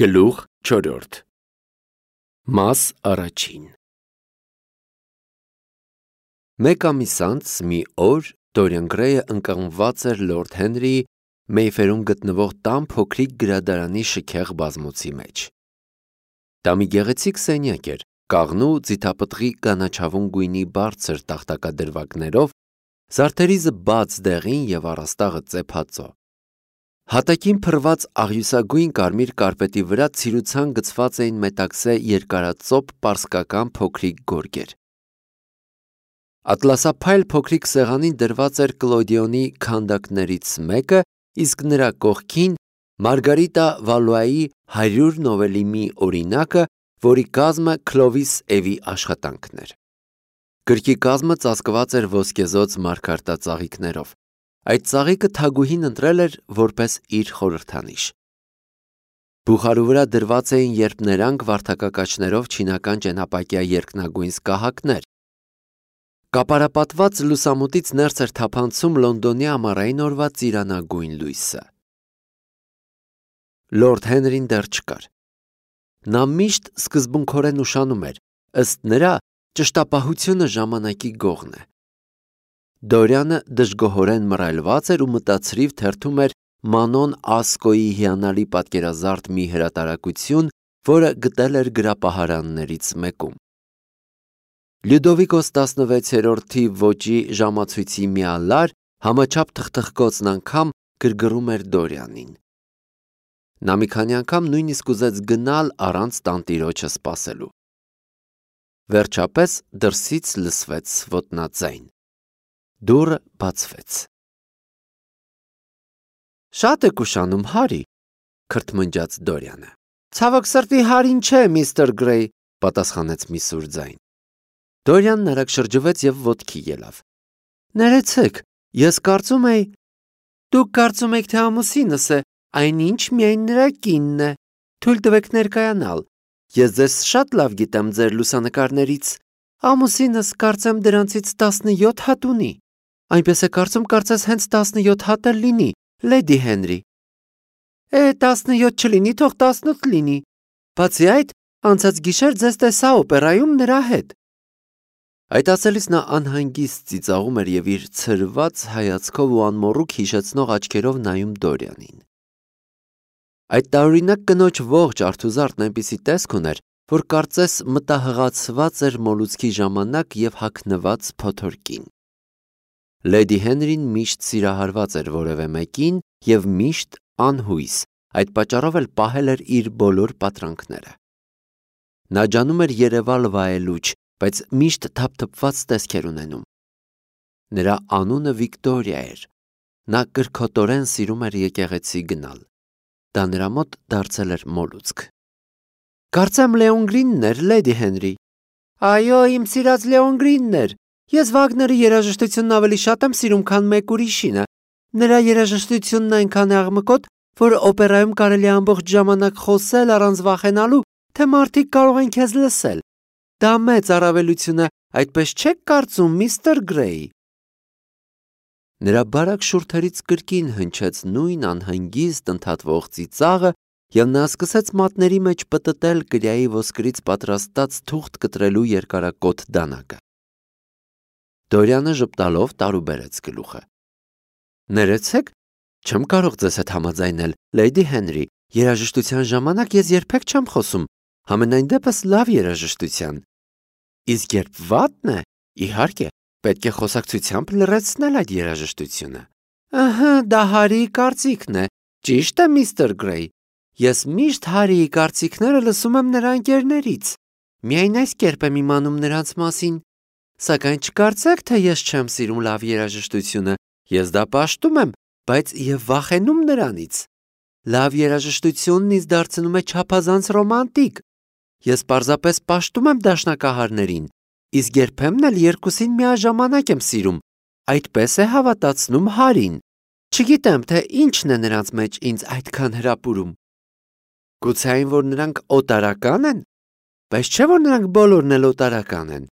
Գլուխ 4 Մաս առաջին Մեկ ամիս անց մի օր Դորիան Գրեյը ընկղմված էր Լորդ Հենրիի Մեյֆերում գտնվող տան փոքրիկ գրադարանի շքեղ բազմոցի մեջ։ Դա մի գեղեցիկ սենյակ էր, կաղնու ձիթապտղի կանաչավուն գույնի բարձր տախտակադրվագներով, զարդերիզը բաց դեղին և առաստաղը ծեփածո։ Հատակին փռված աղյուսագույն կարմիր կարպետի վրա ցիրուցան գցված էին մետաքսե երկարածոպ պարսկական փոքրիկ գորգեր։ Ատլասափայլ փոքրիկ սեղանին դրված էր Կլոդիոնի քանդակներից մեկը, իսկ նրա կողքին Մարգարիտա Վալուայի 100 նովելի մի օրինակը, որի կազմը Քլովիս Էվի աշխատանքն էր։ Գրքի կազմը ծածկված էր ոսկեզօծ մարգարտածաղիկներով։ Այդ ծաղիկը Թագուհին ընտրել էր որպես իր խորհրդանիշ։ Բուխարու վրա դրված էին երփներանգ վարդակակաչներով չինական ճենապակյա երկնագույն սկահակներ։ Կապարապատված լուսամուտից ներս էր թափանցում Լոնդոնի ամառային օրվա ծիրանագույն լույսը։ Լորդ Հենրին դեռ չկար։ Նա միշտ սկզբունքորեն ուշանում էր, ըստ նրա ճշտապահությունը ժամանակի գողն է։ Դորյանը դժգոհորեն մռայլված էր ու մտածրիվ թերթում էր Մանոն Ասկոյի հիանալի պատկերազարդ մի հրատարակություն, որը գտել էր գրապահարաններից մեկում։ Լյուդովիկոս 16-րդի ոճի ժամացույցի մի ալար համաչափ թխթխկոցն անգամ գրգռում էր Դորյանին։ Նա մի քանի անգամ նույնիսկ ուզեց գնալ առանց տանտիրոջը սպասելու։ Վերջապես դրսից լսվեց ոտնաձայն։ Դուռը բացվեց։ «Շատ եք ուշանում, Հարի», քրթմնջաց Դորյանը։ «Ցավոք սրտի Հարին չէ, միստր Գրեյ», պատասխանեց մի սուր ձայն։ Դորյանն արագ շրջվեց և ոտքի ելավ։ «Ներեցեք, ես կարծում էի»։ «Դուք կարծում եք, թե ամուսինս է, այնինչ միայն նրա կինն է։ Թույլ տվեք ներկայանալ։ Ես ձեզ շատ լավ գիտեմ ձեր լուսանկարներից։ Ամուսինս կարծեմ դրանցից 17 հատ ունի։ Այնպես է կարծում, կարծես հենց 17 հատ էլ լինի, Լեդի Հենրի։ 17 չլինի, թող 18 լինի։ Բացի այդ, անցած գիշեր ձեզ տեսա օպերայում նրա հետ»։ Այդ ասելիս նա անհանգիստ ծիծաղում էր և իր ցրված հայացքով ու անմոռուկ հիշեցնող աչքերով նայում Դորյանին։ Այդ տարօրինակ կնոջ ողջ արթուզարդն այնպիսի տեսք ուներ, որ կարծես մտահղացված էր մոլուցքի ժամանակ և հագնված փոթորկին։ Լեդի Հենրին միշտ սիրահարված էր որևէ մեկին և միշտ անհույս, այդ պատճառով էլ պահել էր իր բոլոր պատրանքները։ Նա ջանում էր երևալ վայելուչ, բայց միշտ թափթփված տեսք էր ունենում։ Նրա անունը Վիկտորիա էր։ Նա կրքոտորեն սիրում էր եկեղեցի գնալ։ Դա նրա մոտ դարձել էր մոլուցք։ «Կարծեմ Լեոն Գրինն էր, Լեդի Հենրի»։ «Այո, իմ սիրած Լեոն Գրինն էր։ Ես Վագների երաժշտությունն ավելի շատ եմ սիրում, քան մեկ ուրիշինը։ Նրա երաժշտությունն այնքան է աղմկոտ, որ օպերայում կարելի է ամբողջ ժամանակ խոսել առանց վախենալու, թե մարդիկ կարող են քեզ լսել։ Դա մեծ առավելություն է, այդպես չեք կարծում, միստր Գրեյ»։ Նրա բարակ շուրթերից կրկին հնչեց նույն անհանգիստ ընդհատվող ծիծաղը, և նա սկսեց մատների մեջ պտտել կրիայի ոսկրից պատրաստած թուղթ կտրելու երկարակոթ դանակը։ Դորյանը ժպտալով տարուբերեց գլուխը։ «Ներեցեք, չեմ կարող ձեզ հետ համաձայնել, Լեդի Հենրի, երաժշտության ժամանակ ես երբեք չեմ խոսում, համենայն դեպս լավ երաժշտության։ Իսկ երբ վատն է, իհարկե, պետք է խոսակցությամբ լռեցնել այդ երաժշտությունը»։ «Ըհը, դա Հարիի կարծիքն է, ճիշտ է, միստր Գրեյ։ Ես միշտ Հարիի կարծիքները լսում եմ նրա ընկերներից։ Միայն այս կերպ եմ իմանում նրանց մասին։ Սակայն չկարծեք, թե ես չեմ սիրում լավ երաժշտությունը, ես դա պաշտում եմ, բայց և վախենում նրանից։ Լավ երաժշտությունն ինձ դարձնում է չափազանց ռոմանտիկ։ Ես պարզապես պաշտում եմ դաշնակահարներին, իսկ երբեմն էլ երկուսին միաժամանակ եմ սիրում, այդպես է հավատացնում Հարին։ Չգիտեմ, թե ինչն է նրանց մեջ ինձ այդքան հրապուրում։ Գուցե այն, որ նրանք օտարական են։ Բայց չէ՞ որ նրանք բոլորն էլ օտարական են։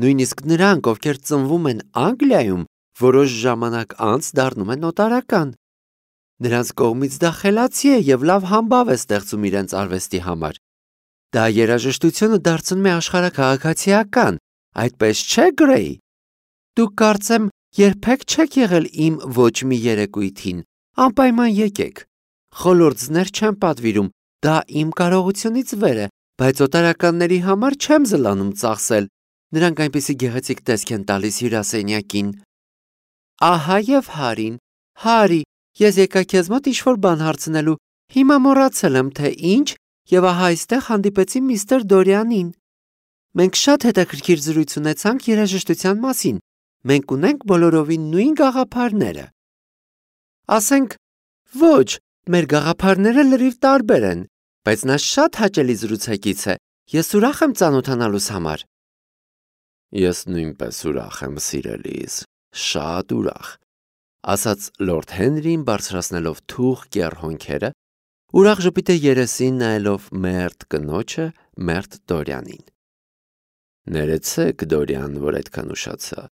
Նույնիսկ նրանք, ովքեր ծնվում են Անգլիայում, որոշ ժամանակ անց դառնում են օտարական։ Նրանց կողմից դա խելացի է եւ լավ համբավ է ստեղծում իրենց արվեստի համար։ Դա երաժշտությունը դարձնում է աշխարհաքաղաքացիական, այդպես չէ, Գրեյ։ Դուք կարծեմ երբեք չեք եղել իմ ոչ մի երեկույթին, անպայման եկեք։ Խոլորձներ չեմ պատվիրում, դա իմ կարողությունից վեր է, բայց օտարականների համար չեմ զլանում ծախսել։ Նրանք այնպիսի գեղեցիկ տեսք են տալիս հյուրասենյակին։ Ահա եւ Հարին։ Հարի, ես եկա քեզ մոտ ինչ-որ բան հարցնելու։ Հիմա մոռացել եմ, թե ինչ, եւ ահա այստեղ հանդիպեցի միստր Դորյանին։ Մենք շատ հետաքրքիր զրույց ունեցանք երաժշտության մասին։ Մենք ունենք բոլորովին նույն գաղափարները։ Ասենք, ոչ, մեր գաղափարները լրիվ տարբեր են, բայց նա շատ հաճելի զրուցակից է։ Ես ուրախ եմ ծանոթանալուս համար։ Ես նույնպես ուրախ եմ, սիրելիս, շատ ուրախ, ասաց Լորդ Հենրին բարձրացնելով թուղ կեռ հոնքերը, ուրախ ժպիտը երեսին նայելով մերթ կնոջը, մերթ Դորյանին։ Ներեցեք, Դորյան, որ այդքան ուշացա։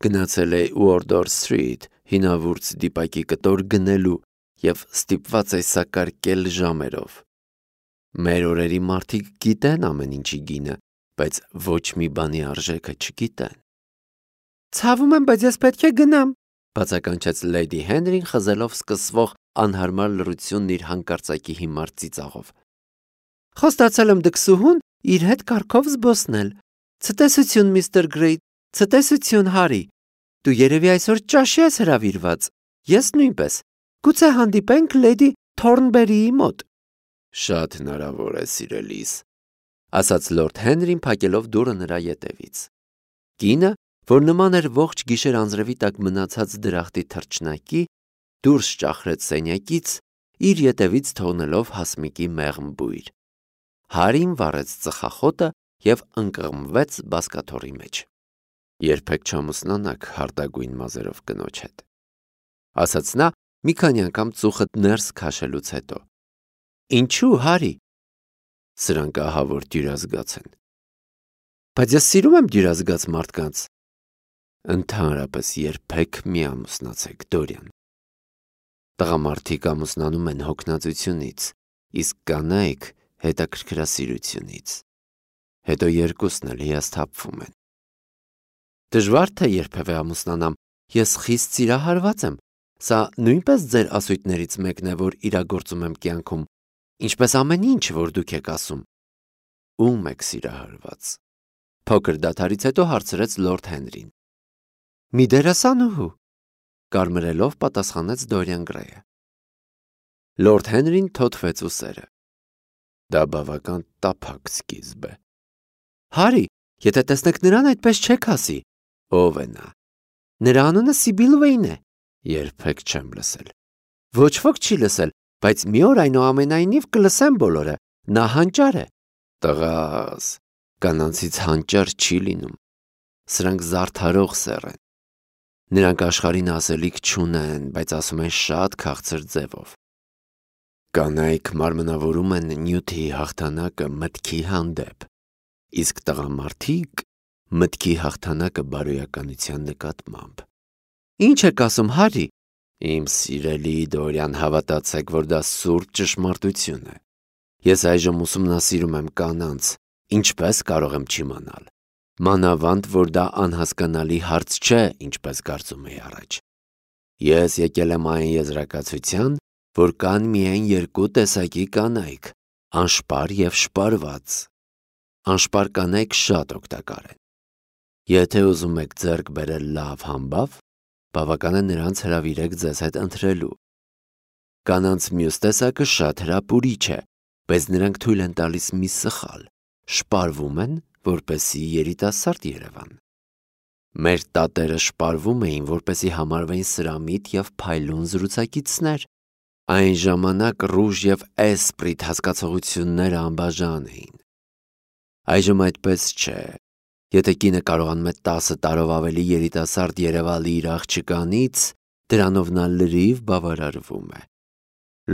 Գնացել է Ուորդոր Սթրիթ հինավուրց դիպակի կտոր գնելու եւ ստիպված է սակարկել ժամերով։ Մեր օրերի մարդիկ գիտեն ամեն ինչի գինը, բայց ոչ մի բանի արժեքը չգիտեն։ Ցավում եմ, բայց ես պետք է գնամ, բացականչեց Լեյդի Հենրին խզելով սկսվող անհարմար լռությունն իր հանկարծակի հիմար ծիծաղով։ Խոստացել եմ դքսուհուն իր հետ կարգով զբոսնել։ Ցտեսություն, միստր Գրեյ, ցտեսություն, Հարի։ Դու երևի այսօր ճաշի ես հրավիրված։ Ես նույնպես։ Գուցե հանդիպենք Լեյդի Թորնբերիի մոտ։ Շատ հնարավոր է, սիրելիս, ասաց Լորդ Հենրին փակելով դուռը նրա ետևից։ Կինը, որ նման էր ողջ գիշեր անձրևի տակ մնացած դրախտի թռչնակի, դուրս ճախրեց սենյակից, իր ետևից թողնելով հասմիկի մեղմ բույր։ Հարին վառեց ծխախոտը եւ ընկղմվեց բազկաթոռի մեջ։ Երբեք չամուսնանաք հարտագույն մազերով կնոջ հետ, ասաց նա մի քանի անգամ ծուխը ներս քաշելուց հետո։ Ինչու, Հարի։ Սրանք ահա որ դյուրազգաց են։ Բայց ես սիրում եմ դյուրազգաց մարդկանց։ Ընդհանրապես երբեք մի ամուսնացեք, Դորյան։ Տղամարդիկ ամուսնանում են հոգնածությունից, իսկ կանայք հետաքրքրասիրությունից։ Հետո երկուսն էլ հիասթափվում են։ Դժվար թե երբևէ ամուսնանամ, ես խիստ սիրահարված եմ։ Սա նույնպես ձեր ասույթներից մեկն է, որ իրագործում եմ կյանքում, ինչպես ամեն ինչ, որ դուք եք ասում։ Ում եք սիրահարված։ Փոքր դադարից հետո հարցրեց Լորդ Հենրին։ Մի դերասանուհու, կարմրելով պատասխանեց Դորյան Գրեյը։ Լորդ Հենրին թոթվեց ուսերը։ Դա բավական տափակ սկիզբ է։ Հարի, եթե տեսնեք նրան, այդպես չեք ասի։ Ով է նա։ Նրա անունը Սիբիլ Վեյն է։ Երբեք չեմ լսել։ Ոչ ոք չի լսել, բայց մի օր այնուամենայնիվ կլսեն բոլորը։ Նա հանճար է։ Տղաս, կանանցից հանճար չի լինում։ Սրանք զարդարող սեռ են։ Նրանք աշխարհին ասելիք չունեն, բայց ասում են շատ քաղցր ձևով։ Կանայք մարմնավորում են նյութի հաղթանակը մտքի հանդեպ, իսկ տղամարդիկ մտքի հաղթանակը բարոյականության նկատմամբ։ Ինչ եք ասում, Հարի։ Իմ սիրելի Դորյան, հավատացեք, որ դա սուրբ ճշմարտություն է։ Ես այժմ ուսումնասիրում եմ կանանց, ինչպես կարող եմ չիմանալ։ Մանավանդ, որ դա անհասկանալի հարց չէ, ինչպես կարծում էի առաջ։ Ես եկել եմ այն եզրակացության, որ կան միայն երկու տեսակի կանայք՝ անշպար եւ շպարված։ Անշպար կանայք շատ օգտակար են։ Եթե ուզում եք ձեռք բերել լավ համբավ, բավական է նրանց հրավիրեք ձեզ հետ ընթրելու։ Կանանց մյուս տեսակը շատ հրապուրիչ է, բայց նրանք թույլ են տալիս մի սխալ, շպարվում են, որպեսզի երիտասարդ երևան։ Մեր տատերը շպարվում էին, որպեսզի համարվեին սրամիտ եւ փայլուն զրուցակիցներ։ Այն ժամանակ ռուժ եւ էսպրիտ հասկացողությունները անբաժան էին։ Այժմ այդպես չէ։ Եթե կինը կարողանում է 10 տարով ավելի երիտասարդ երևալ իր աղջկանից, դրանով նա լրիվ բավարարվում է։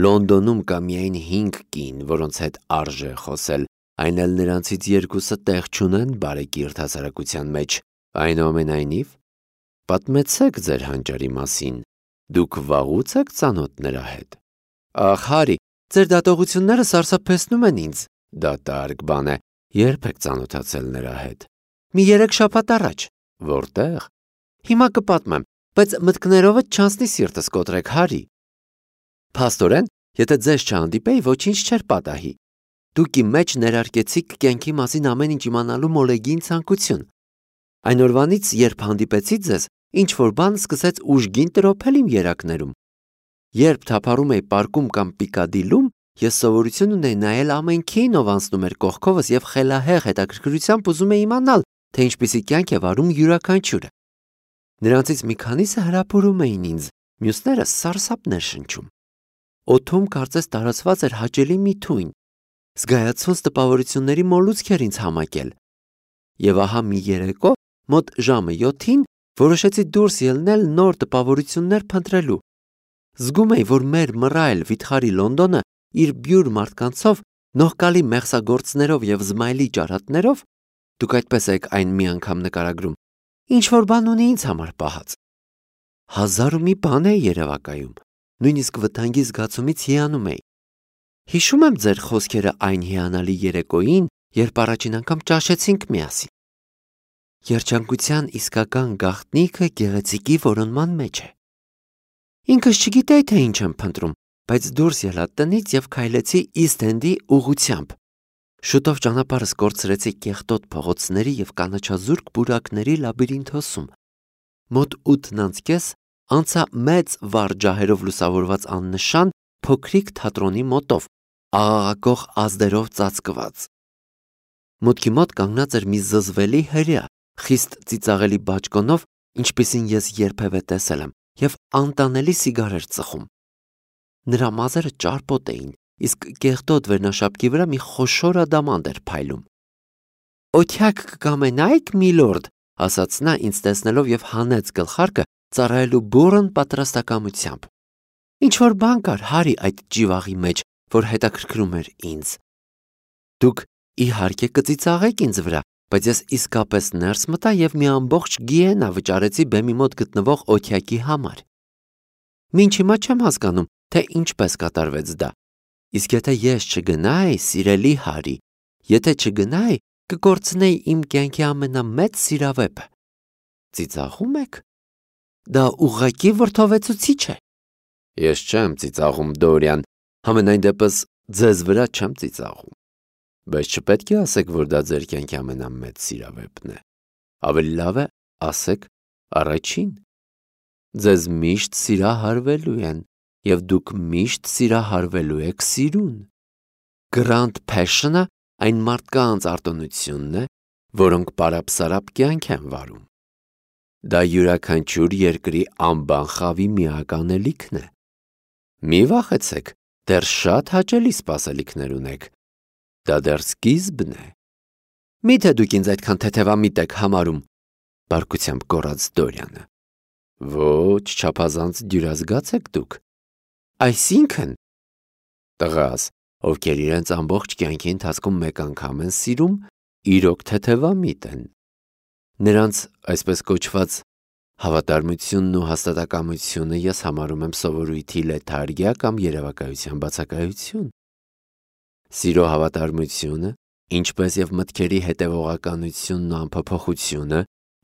Լոնդոնում կա միայն 5 կին, որոնց հետ արժե խոսել, այն էլ նրանցից երկուսը տեղ չունեն բարեկիրթ հասարակության մեջ։ Այնուամենայնիվ, պատմեցեք ձեր հանճարի մասին, դուք վաղուց եք ծանոթ նրա հետ։ Ախ, Հարի, ձեր դատողությունները սարսափեցնում են ինձ։ Դատարկ բան է, երբ եք ծանոթացել նրա հետ։ Մի 3 շաբաթ առաջ։ Որտեղ։ Հիմա կպատմեմ, բայց մտքներովդ չանցնի սիրտս կոտրեք, Հարի։ Փաստորեն, եթե ձեզ չհանդիպեի, ոչինչ չէր պատահի։ Դուք իմ մեջ ներարկեցիք կյանքի մասին ամեն ինչ իմանալու մոլեգին ցանկություն։ Այն օրվանից, երբ հանդիպեցի ձեզ, ինչ-որ բան սկսեց ուժգին տրոփել իմ երակներում։ Երբ թափառում էի պարկում կամ Պիկադիլում, ես սովորություն ունեի նայել ամենքին, ով անցնում էր կողքովս և խելահեղ հետաքրքրությամբ ուզում էի իմանալ, թե ինչպիսի կյանք է վարում յուրաքանչյուրը։ Նրանցից մի քանիսը հրապուրում էին ինձ, մյուսները սարսափներ շնչում։ Օդում կարծես տարածված էր հաճելի մի թույն, զգայացած տպավորությունների մոլուցք էր ինձ համակել։ Եվ ահա մի երեկո, մոտ ժամը 7-ին, որոշեցի դուրս ելնել նոր տպավորություններ փնտրելու։ Զգում էի, որ մեր մռայլ վիթխարի Լոնդոնը իր բյուր մարդկանցով, նողկալի մեղսագործներով և զմայլի ճարատներով, դուք այդպես եք այն մի անգամ նկարագրում, ինչ-որ բան ունի ինձ համար պահած։ 1001 բան է երևակայում, նույնիսկ վտանգի զգացումից հիանում էի։ Հիշում եմ ձեր խոսքերը այն հիանալի երեկոյին, երբ առաջին անգամ ճաշեցինք միասին։ Երջանկության իսկական գաղտնիքը գեղեցիկի որոնման մեջ է։ Ինքս չգիտեի, թե ինչ եմ փնտրում, բայց դուրս ելա տնից և քայլեցի Իսթ-Էնդի ուղղությամբ։ Շուտով ճանապարհս կորցրեցի կեղտոտ փողոցների և կանաչազուրկ պուրակների լաբիրինթոսում։ Մոտ 8:30 անցա մեծ վառ ջահերով լուսավորված աննշան փոքրիկ թատրոնի մոտով, աղաղակող ազդերով ծածկված։ Մուտքի մոտ կանգնած էր մի զզվելի հրեա, խիստ ծիծաղելի բաճկոնով, ինչպիսին ես երբևէ տեսել եմ, և անտանելի սիգար էր ծխում։ Նրա մազերը ճարպոտ էին, իսկ կեղտոտ վերնաշապկի վրա մի խոշոր ադամանդ էր փայլում։ «Օթյակ կկամենայիք, միլորդ», ասաց նա ինձ տեսնելով և հանեց գլխարկը ծառայելու բուռն պատրաստակամությամբ։ Ինչ-որ բան կար, Հարի, այդ ճիվաղի մեջ, որ հետաքրքրում էր ինձ։ Դուք իհարկե կծիծաղեք ինձ վրա, բայց ես իսկապես ներս մտա և մի ամբողջ գիենա վճարեցի բեմի մոտ գտնվող օթյակի համար։ Մինչ հիմա չեմ հասկանում, թե ինչպես կատարվեց դա։ Իսկ եթե ես չգնայի, սիրելի Հարի, եթե չգնայի, կկորցնեի իմ կյանքի ամենամեծ սիրավեպը։ Ծիծաղում եք։ Դա ուղղակի վրդովեցուցիչ է։ Ես չեմ ծիծաղում, Դորիան, համենայն դեպս ձեզ վրա չեմ ծիծաղում։ Բայց չպետք է ասեք, որ դա ձեր կյանքի ամենամեծ սիրավեպն է։ Ավելի լավ է ասեք առաջին։ Ձեզ միշտ սիրահարվելու են, և դուք միշտ սիրահարվելու եք սիրուն։ Grand Passion-ը այն մարդկանց արտոնությունն է, որոնք պարապ-սարապ կյանք են վարում։ Դա յուրաքանչյուր երկրի անբան խավի միակ անելիքն է։ Մի վախեցեք, դեռ շատ հաճելի սպասելիքներ ունեք։ Դա դեռ սկիզբն է։ Միթե դուք ինձ այդքան թեթևամիտ եք համարում, բարկությամբ գոռաց Դորիանը։ Ոչ, չափազանց դյուրազգաց եք դուք։ Այսինքն, տղաս, ովքեր իրենց ամբողջ կյանքի ընթացքում մեկ անգամ են սիրում, իրոք թեթևամիտ են։ Նրանց այսպես կոչված հավատարմությունն ու հաստատակամությունը ես համարում եմ սովորույթի լեթարգիա կամ երևակայության բացակայություն։ Սիրո հավատարմությունը, ինչպես և մտքերի հետևողականությունն ու անփոփոխությունը,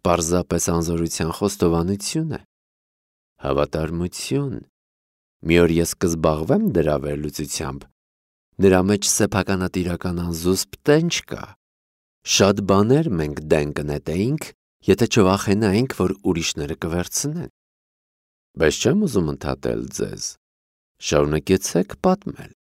պարզապես անզորության խոստովանություն է։ Հավատարմություն։ Մի օր ես կզբաղվեմ դրա վերլուծությամբ։ Նրա մեջ սեփականատիրական անզուսպ տենչ կա։ Շատ բաներ մենք դեն կնետեինք, եթե չվախենայինք, որ ուրիշները կվերցնեն։ Բայց չեմ ուզում ընդհատել ձեզ։ Շարունակեցեք պատմել։